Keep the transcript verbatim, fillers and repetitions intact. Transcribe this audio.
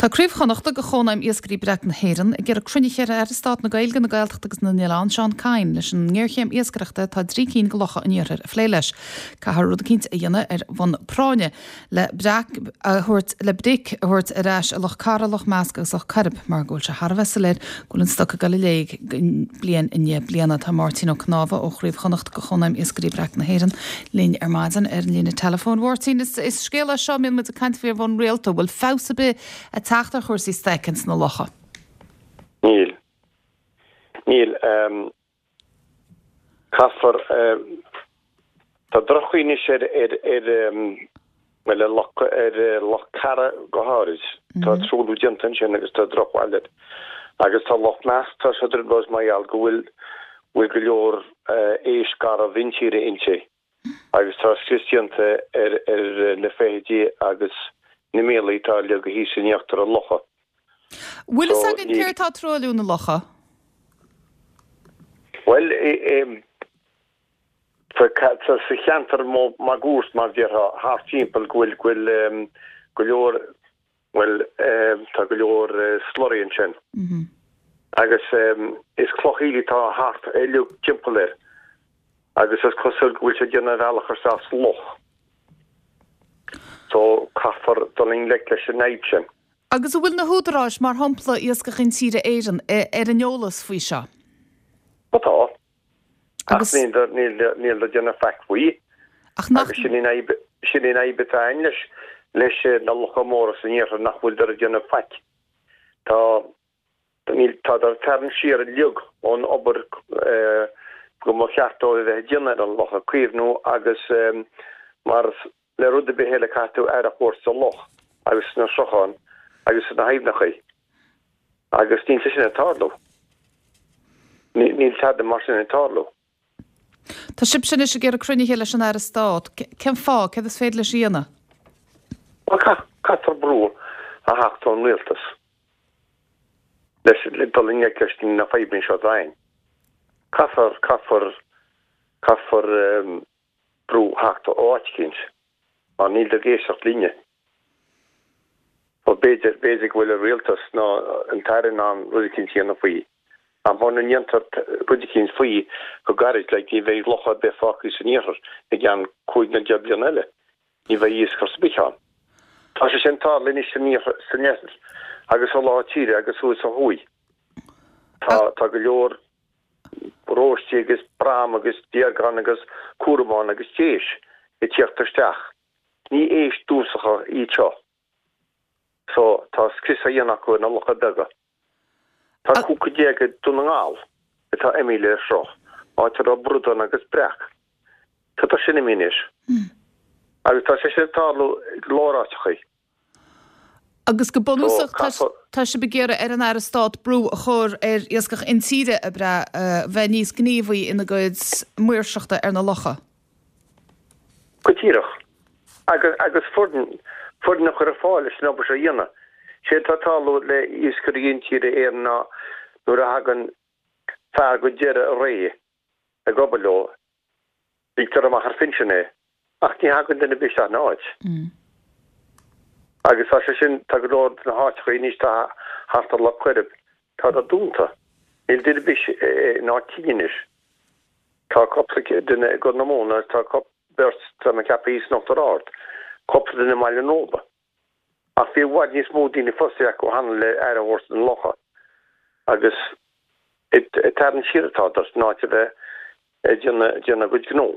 Tá Craobh Chonnachta de Chónaidhm Iascairí Breac na hÉireann ag iarraidh cruinnithe ar Aire Stáit na Gaeilge, na Gaeltachta agus na nOileán, Seán Kyne, leis an ngéarchéim iascaireachta atá i dtrí cinn de locha an iarthair a phlé leis. Caithfear rud eicínt a dhéanamh ar bhonn práinne le breac a thabhairt le bric a thabhairt ar ais i Loch Cara, Loch Measc agus Loch Coirib mar go bhfuil sé thar a bheith soiléir go bhfuil an stoc ag dul i léig bliain i ndiaidh bliana. Tá Máirtín Ó Cnámha ó Chraobh Chonnachta de Chónaidhm Iascairí Breac na hÉireann linn ar maidin ar an líne teileafóin. Mháirtín, is, is scéal é seo a mbíonn muid ag caint faoi ar bhonn rialta, bhfuil feabhas ar bith ag teacht ar chúrsaí stoic ins na locha? Níl. Níl. Um, caithfear um, tá droch-chaoi anois ar ar ar um, well, ar Loch ar eh, Loch Cara go háirid. Mm -hmm. Tá truailliú déanta ansin agus tá drochbhail air. Agus tá Loch Measc tá sé trioblóid mar gheall go bhfuil bhfuil go leor uh, éisc garbh intíre inti. Agus tá scrios déanta ar ar na feithidí agus na míolta atá leagtha thíos in íochtar an locha. Bhfuil fhios againn céard atá ag truailliú na locha? Well sa cheantar máguaird mar déarfá thart timpeall go bhfuil go bhfuil go leor well tá go leor slurry ansin. Mm-hmm. Agus is cloch aoiligh atá thart uilig timpeall air. Agus is cosúil go bhfuil sé déanamh bealach isteach sa loch. So caithfear dul i ngleic leis an fhadhb sin. Agus an bhfuil na húdaráis mar shampla Iascach Intíre Éireann ar an eolas faoi seo? Ó tá. Agus níl níl le déanamh faic faoi. Ach nach sin an sin an fhadhb atá ann leis leis na locha móra san iarthar nach bhfuil dar déanamh faic. Tá níl tá dar tarraingt siar uilig ón obair go mba cheart dóibh a bheith ag déanamh ar an loch a chaomhnú agus mar le rud ar bith eile caithfidh tú aire a thabhairt sa loch agus sna srutháin agus sna haibhneacha. Agus níl sé sin ag tarlú. Níl tada mar sin ag tarlú. Tá sibhse anois ag iarraidh cruinnithe leis an Aire Stáit. Cén fáth, céard is féidir leis a dhéanamh? Well caithfear brú a theacht ón rialtas leis le dul i ngleic leis na fadhbanna seo atá ann. Caithfear caithfear caithfear um, brú theacht ó áit eicínt. Mar níl ag éisteacht linne. Ó b'fhéidir b'fhéidir go bhfuil an rialtas nó an tAire in ann rud eicínt a dhéanamh faoi. Ach muna ndéantar rud eicínt faoi go gairid le ní bheidh loch ar bith fágtha san iarthar i gceann cúig nó deich bliana eile. Ní bheidh iasc ar bith ann. Tá sé sin tarlaithe anois san iarthar san iarthar agus sa lár tíre agus thuas ó thuaidh. Tá tá go leor róistí agus brám agus deargán agus cúramán agus déis ag tíocht isteach. Ní éisc dúchasacha iad seo. So tá scrios á dhéanamh acu ar na locha beaga. Tá cúig déag i Dún na nGall atá imithe le sruth, áit a raibh bradán agus breac. Tá tá sin imithe anois. Agus tá sé sin ag tarlú i go leor áiteachaí. Agus go bunúsach So, tá sibh ag iarraidh ar an Aire Stáit brú a chur ar Iascach Intíre a bheith níos gníomhaí ina gcuid maoirseachta ar na locha. Go díreach. Agus agus foireann foireann a chur ar fáil leis an obair seo a dhéanamh. Sé atá ag tarlú le Iascairí Intíre Éireann ná nuair a thagann fear go deireadh a ré ag obair leo, ligtear amach ar phinsean é, ach ní thagann duine ar bith isteach ina áit. Agus tá sé sin, tá go leor de na háiteacha anois atá thart ar Loch Coirib, tá siad dúnta. Níl duine ar bith in áit tinn anois. Tá cúpla duine i gCorr na Móna agus tá cúpla, beirt, tá mé ag ceapadh thíos in Uachtar Ard, cúpla duine i mBaile an Róba. Ach bhí i bhfad níos mó daoine fostaithe acu cheana le aire a thabhairt do na locha. Agus ag tarraingt siar atá siad in áit a bheith ag déanamh a gcuid gnó.